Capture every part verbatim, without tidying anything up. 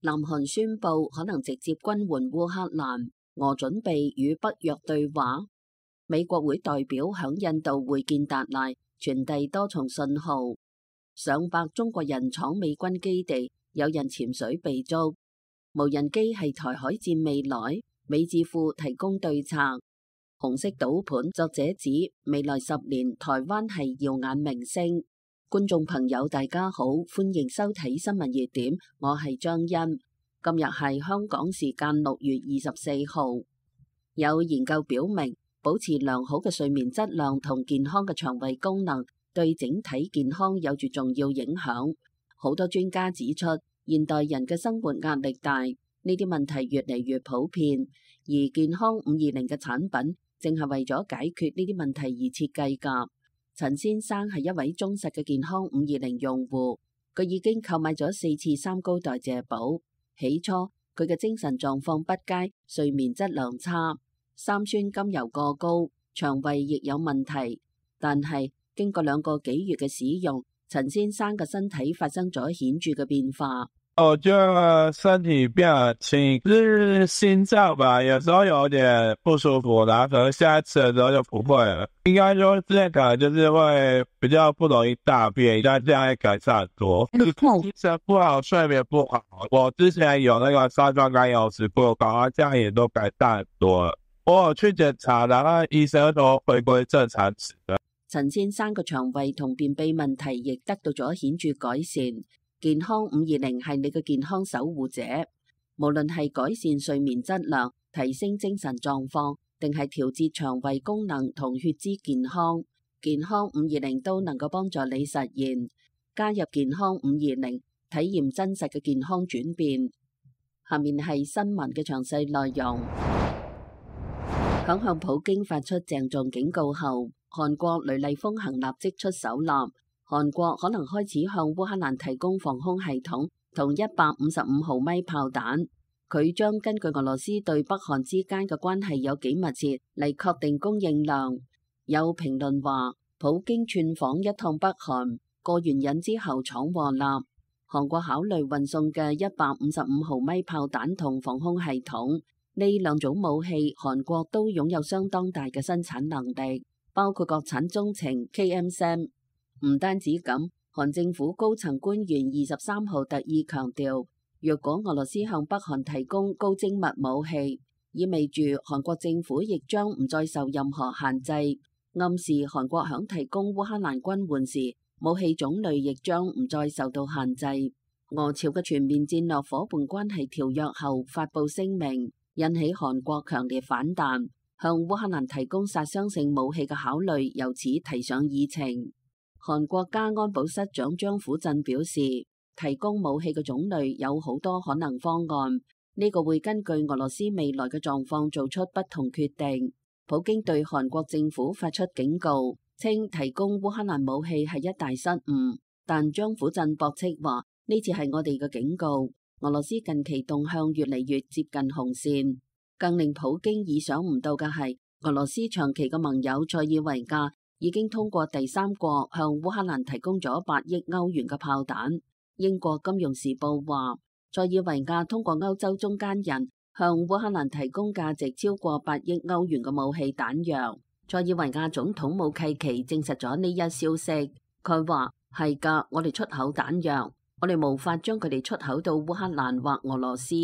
南韓宣布可能直接軍援烏克蘭，俄準備與北約對話。美國會代表響印度會見達賴，傳遞多重信號。上百中國人闖美軍基地，有人潛水被捉。無人機係台海戰未來，美智庫提供對策。紅色賭盤作者指未來十年台灣係耀眼明星。觀眾朋友大家好，歡迎收睇新聞熱點，我係張欣。今日係香港時間六月二十四號。有研究表明，保持良好嘅睡眠質量同健康嘅腸胃功能對整體健康有住重要影響。好多專家指出，現代人嘅生活壓力大，呢啲問題越嚟越普遍，而健康五二零嘅產品正係為咗解決呢啲問題而設計㗎。陳先生係一位忠實嘅健康五二零用戶，佢已經購買咗四次三高代謝寶。起初佢嘅精神狀況不佳，睡眠質量差，三酸甘油過高，腸胃亦有問題。但係經過兩個幾月嘅使用，陳先生嘅身體發生咗顯著嘅變化。我覺得身體變得輕，就是心臟吧，有時候有點不舒服，然後可能下次的時候就不會了。應該說之前可能就是會比較不容易大便，但這樣也改善很多。精神不好，睡眠不好，我之前有那個三酸甘油酯過高，這樣也都改善很多了。我有去檢查，然後醫生都回歸正常值。陳先生嘅腸胃同便秘問題亦得到咗顯著改善。健康五二零係你嘅健康守護者，無論係改善睡眠質量、提升精神狀況，定係調節腸胃功能同血脂健康，健康五二零都能夠幫助你實現。加入健康五二零，體驗真實嘅健康轉變。下面係新聞嘅詳細內容。響向普京發出鄭重警告後，韓國雷厲風行，立即出手啦。韓國可能開始向烏克蘭提供防空系統同一百五十五毫米炮彈。佢將根據俄羅斯對北韓之間嘅關係有幾密切嚟確定供應量。有評論話，普京串訪一趟北韓，過完癮之後闖禍啦。韓國考慮運送嘅一百五十五毫米炮彈同防空系統，呢兩種武器韓國都擁有相當大嘅生產能力，包括國產中程 K M 三。唔單止咁，韓政府高層官員二十三號特意強調，若果俄羅斯向北韓提供高精密武器，意味住韓國政府亦將唔再受任何限制，暗示韓國響提供烏克蘭軍援時，武器種類亦將唔再受到限制。俄朝嘅全面戰略夥伴關係條約後發布聲明，引起韓國強烈反彈，向烏克蘭提供殺傷性武器嘅考慮由此提上議程。韓國家安保室長張虎振表示，提供武器嘅種類有好多可能方案，呢個會根據俄羅斯未來嘅狀況做出不同決定。普京對韓國政府發出警告，稱提供烏克蘭武器係一大失誤，但張虎振駁斥話呢次係我哋嘅警告。俄羅斯近期動向越嚟越接近紅線，更令普京意想唔到嘅係，俄羅斯長期嘅盟友塞爾維亞已經通過第三國向烏克蘭提供咗八億歐元嘅炮彈。英國金融時報話，塞爾維亞通過歐洲中間人向烏克蘭提供價值超過八億歐元嘅武器彈藥。塞爾維亞總統武契奇證實咗呢一消息。佢話係噶，我哋出口彈藥，我哋無法將佢哋出口到烏克蘭或俄羅斯，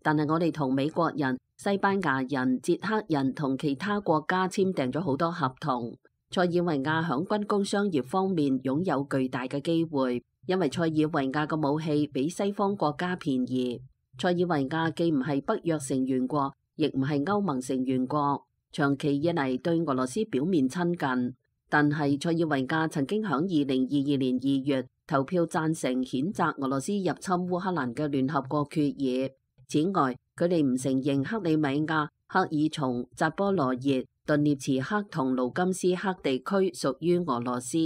但係我哋同美國人、西班牙人、捷克人同其他國家簽訂咗好多合同。塞爾維亞響軍工商業方面擁有巨大嘅機會，因為塞爾維亞嘅武器比西方國家便宜。塞爾維亞既唔係北約成員國，亦唔係歐盟成員國，長期以嚟對俄羅斯表面親近。但係塞爾維亞曾經響二零二二年二月投票贊成譴責俄羅斯入侵烏克蘭嘅聯合國決議。此外，佢哋唔承認克里米亞、克爾松、扎波羅熱、頓涅茨克同盧甘斯克地區屬於俄羅斯。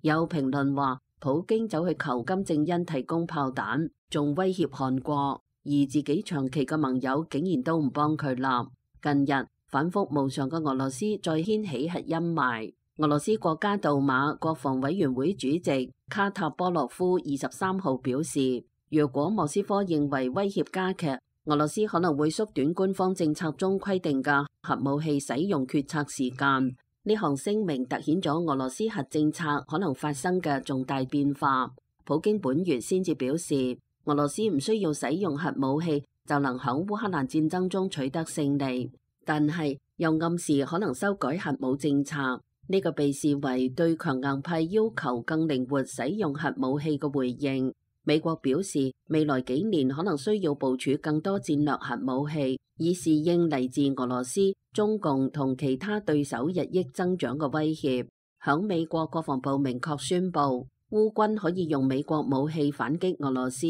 有評論話，普京走去求金正恩提供炮彈，仲威脅韓國，而自己長期嘅盟友竟然都唔幫佢啦。近日反覆無常嘅俄羅斯再掀起核陰霾。俄羅斯國家杜馬國防委員會主席卡塔波洛夫二十三號表示，若果莫斯科認為威脅加劇，俄羅斯可能會縮短官方政策中規定嘅核武器使用決策時間。呢項聲明凸顯咗俄羅斯核政策可能發生嘅重大變化。普京本月先至表示，俄羅斯唔需要使用核武器就能喺烏克蘭戰爭中取得勝利，但係又暗示可能修改核武政策。呢個被視為對強硬派要求更靈活使用核武器嘅回應。美國表示，未來幾年可能需要部署更多戰略核武器，以適應嚟自俄羅斯、中共同其他對手日益增長嘅威脅。響美國國防部明確宣布，烏軍可以用美國武器反擊俄羅斯，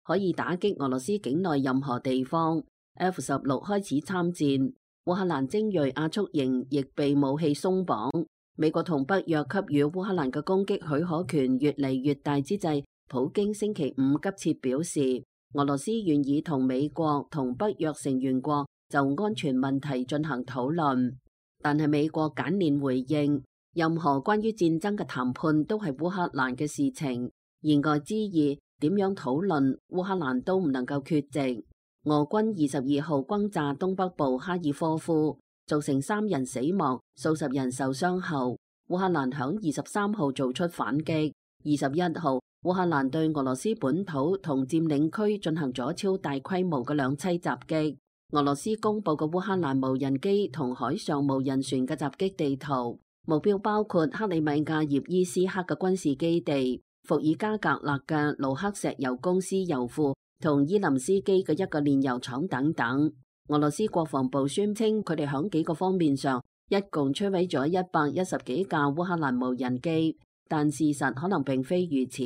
可以打擊俄羅斯境內任何地方。F 十六開始參戰，烏克蘭精銳亞速營亦被武器鬆綁。美國同北約給予烏克蘭嘅攻擊許可權越嚟越大之際，普京星期五急切表示，俄羅斯願意同美國同北約成員國就安全問題進行討論。但係美國簡練回應，任何關於戰爭嘅談判都係烏克蘭嘅事情，言外之意，點樣討論烏克蘭都唔能夠缺席。俄軍二十二號轟炸東北部哈爾科夫，造成三人死亡、數十人受傷後，烏克蘭響二十三號做出反擊。二十一號，烏克蘭對俄羅斯本土同佔領區進行咗超大規模嘅兩棲襲擊。俄羅斯公布嘅烏克蘭無人機同海上無人船嘅襲擊地圖，目標包括克里米亞葉伊斯克嘅軍事基地、伏爾加格勒嘅盧克石油公司油庫同伊林斯基嘅一個煉油廠等等。俄羅斯國防部宣稱，佢哋響幾個方面上一共摧毀咗一百一十幾架烏克蘭無人機，但事實可能並非如此。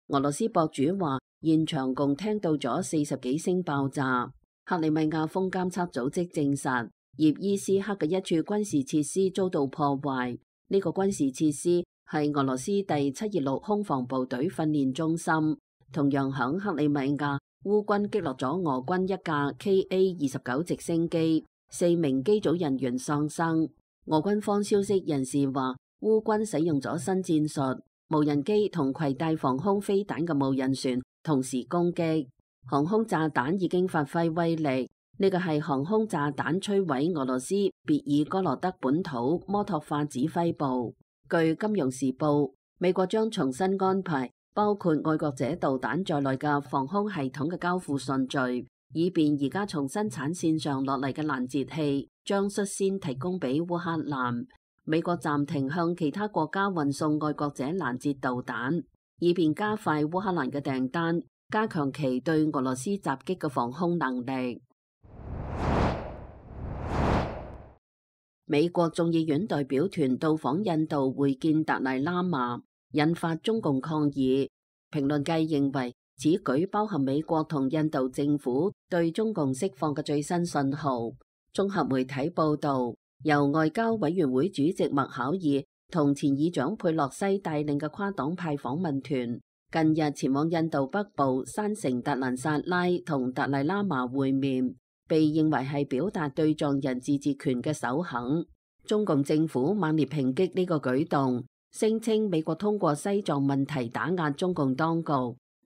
俄羅斯博主話，現場共聽到咗四十幾聲爆炸。克里米亞風監測組織證實，葉伊斯克嘅一處軍事設施遭到破壞。呢個軍事設施係俄羅斯第七二六空防部隊訓練中心。同樣響克里米亞，烏軍擊落咗俄軍一架 K A 二十九直升機，四名機組人員喪生。俄軍方消息人士話，烏軍使用咗新戰術，無人機同攜帶防空飛彈嘅無人船同時攻擊。航空炸彈已經發揮威力，呢個係航空炸彈摧毀俄羅斯別爾哥羅德本土摩托化指揮部。據《金融時報》，美國將重新安排包括愛國者導彈在內嘅防空系統嘅交付順序，以便而家從生產線上落嚟嘅攔截器將率先提供俾烏克蘭。美國暫停向其他國家運送愛國者攔截導彈，以便加快烏克蘭嘅訂單，加強其對俄羅斯襲擊嘅防空能力。美國眾議院代表團到訪印度會見達賴喇嘛，引發中共抗議。評論界認為，此舉包含美國同印度政府對中共釋放嘅最新信號。綜合媒體報道，由外交委員會主席麥考爾同前議長佩洛西帶領嘅跨黨派訪問團，近日前往印度北部山城達蘭薩拉同達賴喇嘛會面，被認為係表達對藏人自治權嘅首肯。中共政府猛烈抨擊呢個舉動，聲稱美國通過西藏問題打壓中共當局，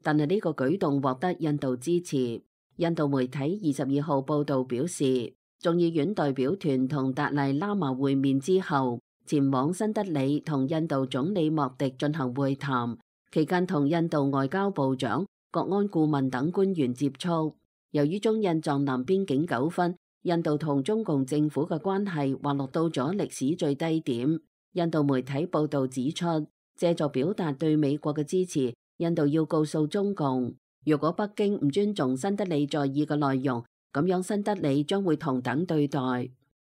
但係呢個舉動獲得印度支持。印度媒體二十二號報道表示，眾議院代表團同達賴喇嘛會面之後，前往新德里同印度總理莫迪進行會談。期間同印度外交部長、國安顧問等官員接觸。由於中印藏南邊境糾紛，印度同中共政府嘅關係滑落到咗歷史最低點。印度媒體報導指出，借助表達對美國嘅支持，印度要告訴中共，如果北京唔尊重新德里在意嘅內容，咁樣新德里將會同等對待。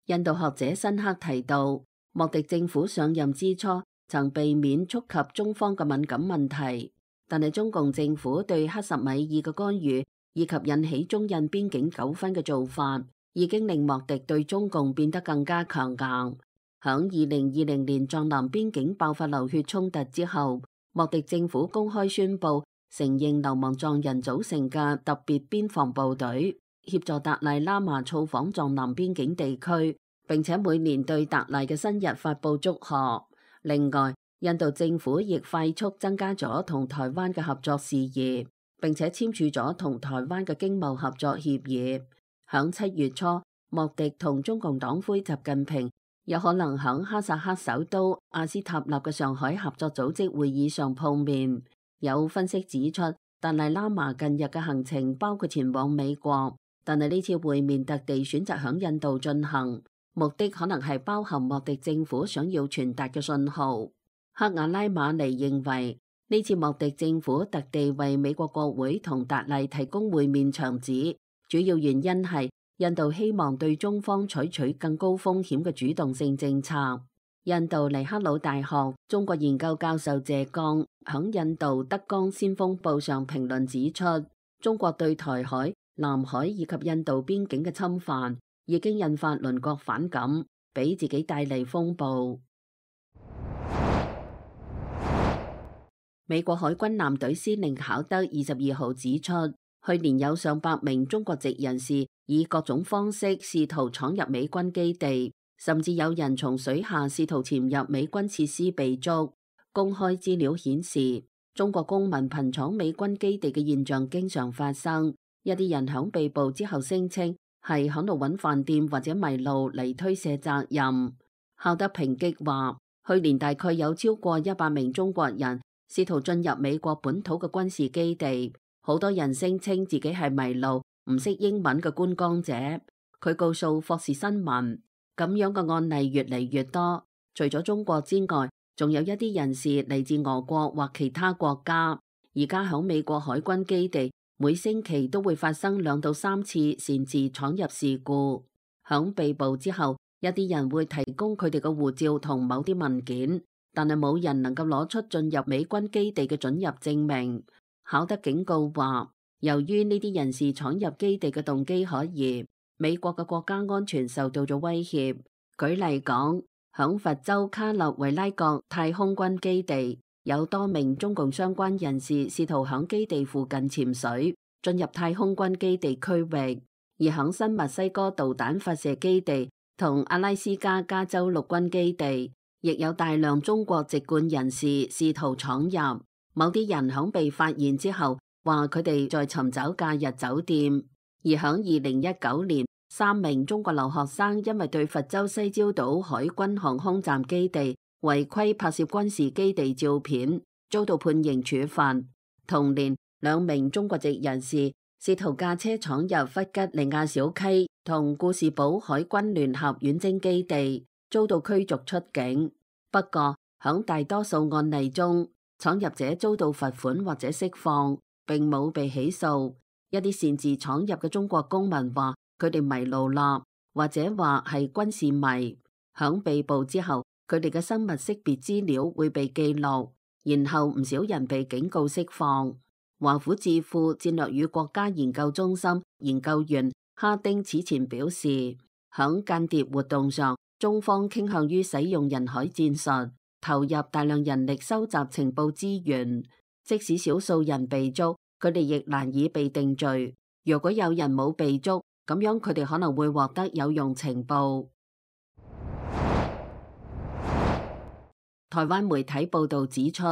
印度學者辛克提到，莫迪政府上任之初，曾避免觸及中方嘅敏感問題，但係中共政府對克什米爾嘅干預以及引起中印邊境糾紛嘅做法，已經令莫迪對中共變得更加強硬。響二零二零年藏南邊境爆發流血衝突之後，莫迪政府公開宣布承認流亡藏人組成嘅特別邊防部隊，協助達賴喇嘛造訪藏南邊境地區，並且每年對達賴嘅生日發佈祝賀。另外，印度政府亦快速增加咗同台灣嘅合作事宜，並且簽署咗同台灣嘅經貿合作協議。響七月初，莫迪同中共黨魁習近平有可能響哈薩克首都阿斯塔納嘅上海合作組織會議上碰面。有分析指出，達賴喇嘛近日嘅行程包括前往美國，但係呢次會面特地選擇響印度進行，目的可能係包含莫迪政府想要傳達嘅信號。克瓦拉馬尼認為，呢次莫迪政府特地為美國國會同達賴提供會面場址，主要原因係印度希望對中方採取更高風險嘅主動性政策。印度尼赫魯大學中國研究教授謝剛響印度德江先鋒報上評論指出，中國對台海、南海以及印度邊境嘅侵犯已經引發鄰國反感，俾自己帶嚟風暴。美國海軍艦隊司令考德二十二號指出，去年有上百名中國籍人士以各種方式試圖闖入美軍基地，甚至有人從水下試圖潛入美軍設施被捉。公開資料顯示，中國公民頻闖美軍基地嘅現象經常發生。一啲人響被捕之後聲稱係響度揾飯店或者迷路嚟推卸責任。考德抨擊話，去年大概有超過一百名中國人試圖進入美國本土嘅軍事基地，好多人聲稱自己係迷路、唔識英文嘅觀光者。佢告訴霍士新聞，咁樣嘅案例越嚟越多。除咗中國之外，仲有一啲人士嚟自俄國或其他國家。而家響美國海軍基地，每星期都會發生兩到三次擅自闖入事故。響被捕之後，一啲人會提供佢哋嘅護照同某啲文件，但係冇人能夠攞出進入美軍基地嘅准入證明。考德警告話，由於呢啲人士闖入基地嘅動機可疑，美國嘅國家安全受到咗威脅。舉例講，響佛州卡勒維拉國太空軍基地，有多名中共相關人士試圖響基地附近潛水進入太空軍基地區域，而響新墨西哥導彈發射基地同阿拉斯加加州陸軍基地，亦有大量中國籍貫人士試圖闖入。某啲人響被發現之後話佢哋在尋找假日酒店。而響二零一九年，三名中國留學生因為對佛州西礁島海軍航空站基地違規拍攝軍事基地照片，遭到判刑處罰。同年，兩名中國籍人士試圖駕車闖入弗吉尼亞小溪同故事堡海軍聯合遠征基地，遭到驅逐出境。不過，響大多數案例中，闖入者遭到罰款或者釋放，並冇被起訴。一啲擅自闖入嘅中國公民話佢哋迷路啦，或者話係軍事迷。響被捕之後，佢哋嘅生物識別資料會被記錄，然後唔少人被警告釋放。華府智庫戰略與國家研究中心研究員哈丁此前表示，響間諜活動上，中方傾向於使用人海戰術，投入大量人力收集情報資源。即使少數人被捉，佢哋亦難以被定罪。如果有人冇被捉，咁樣佢哋可能會獲得有用情報。台灣媒體報道指出，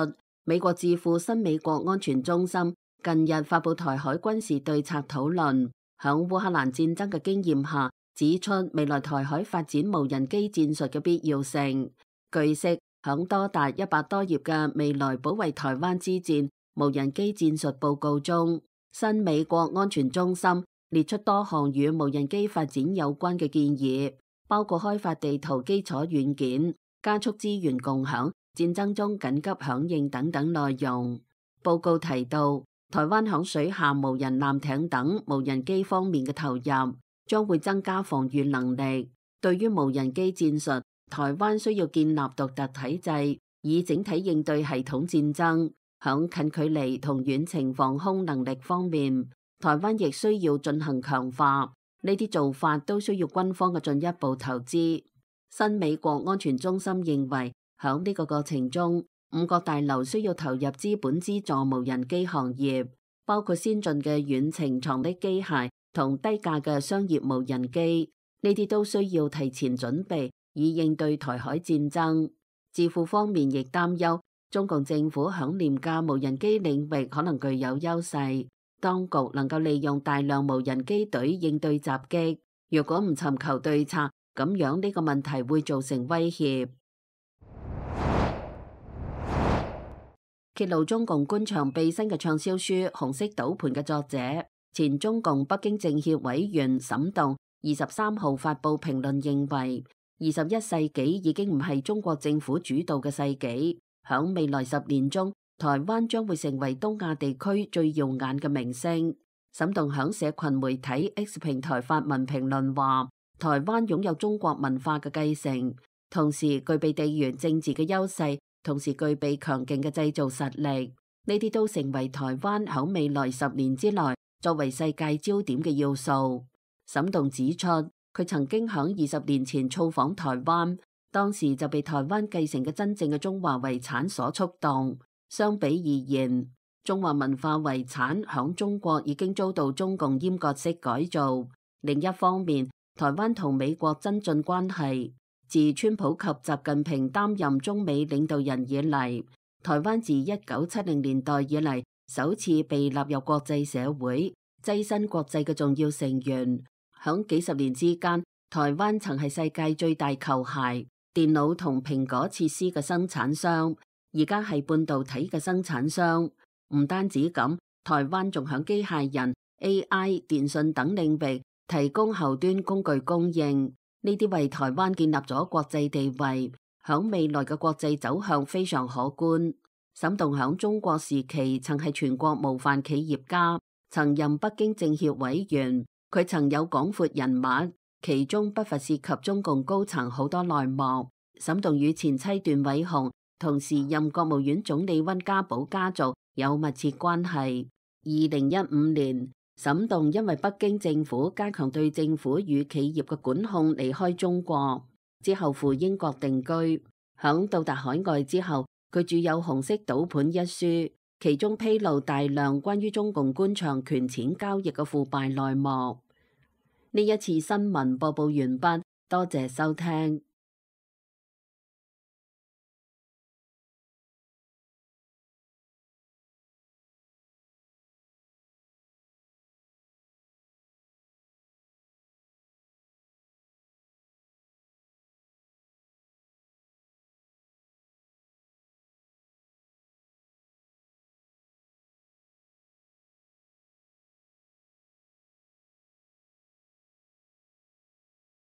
美國智庫新美國安全中心近日發布台海軍事對策討論，響烏克蘭戰爭嘅經驗下，指出未來台海發展無人機戰術嘅必要性。據悉，響多達一百多頁嘅未來保衛台灣之戰無人機戰術報告中，新美國安全中心列出多項與無人機發展有關嘅建議，包括開發地圖基礎軟件、加速資源共享、戰爭中緊急響應等等內容。報告提到，台灣響水下無人艦艇等無人機方面嘅投入，將會增加防禦能力。對於無人機戰術，台灣需要建立獨特體制，以整體應對系統戰爭。響近距離同遠程防空能力方面，台灣亦需要進行強化。呢啲做法都需要軍方嘅進一步投資。新美國安全中心認為，響呢個過程中，五角大樓需要投入資本資助無人機行業，包括先進嘅遠程藏匿機械同低價嘅商業無人機。呢啲都需要提前準備，以應對台海戰爭。智庫方面亦擔憂，中共政府響廉價無人機領域可能具有優勢，當局能夠利用大量無人機隊應對襲擊。若果唔尋求對策，咁樣呢個問題會造成威脅。揭露中共官場秘辛嘅暢銷書《紅色賭盤》嘅作者，前中共北京政協委員沈棟，二十三號發布評論認為，二十一世紀已經唔係中國政府主導嘅世紀，響未來十年中，台灣將會成為東亞地區最耀眼嘅明星。沈棟響社群媒體 X 平台發文評論話，台灣擁有中國文化嘅繼承，同時具備地緣政治嘅優勢，同時具備強勁嘅製造實力，呢啲都成為台灣響未來十年之內作為世界焦點嘅要素。沈棟指出，佢曾經響二十年前造訪台灣，當時就被台灣繼承嘅真正嘅中華遺產所觸動。相比而言，中華文化遺產響中國已經遭到中共閹割式改造。另一方面，台灣同美國增進關係。自川普及習近平擔任中美領導人以嚟，台灣自一九七零年代以嚟首次被納入國際社會，躋身國際嘅重要成員。響幾十年之間，台灣曾係世界最大球鞋、電腦同蘋果設施嘅生產商，而家係半導體嘅生產商。唔單止咁，台灣仲響機械人、A I、電信等領域提供後端工具供應。呢啲為台灣建立咗國際地位，響未來嘅國際走向非常可觀。沈棟響中國時期曾係全國模範企業家，曾任北京政協委員，佢曾有廣闊人脈，其中不乏涉及中共高層好多內幕。沈棟與前妻段偉紅同時任國務院總理溫家寶家族有密切關係。二零一五年，沈棟因為北京政府加強對政府與企業嘅管控，離開中國之後赴英國定居。響到達海外之後，佢著有《紅色賭盤》一書，其中披露大量關於中共官場權錢交易嘅腐敗內幕。呢一次新聞播報完畢，多謝收聽。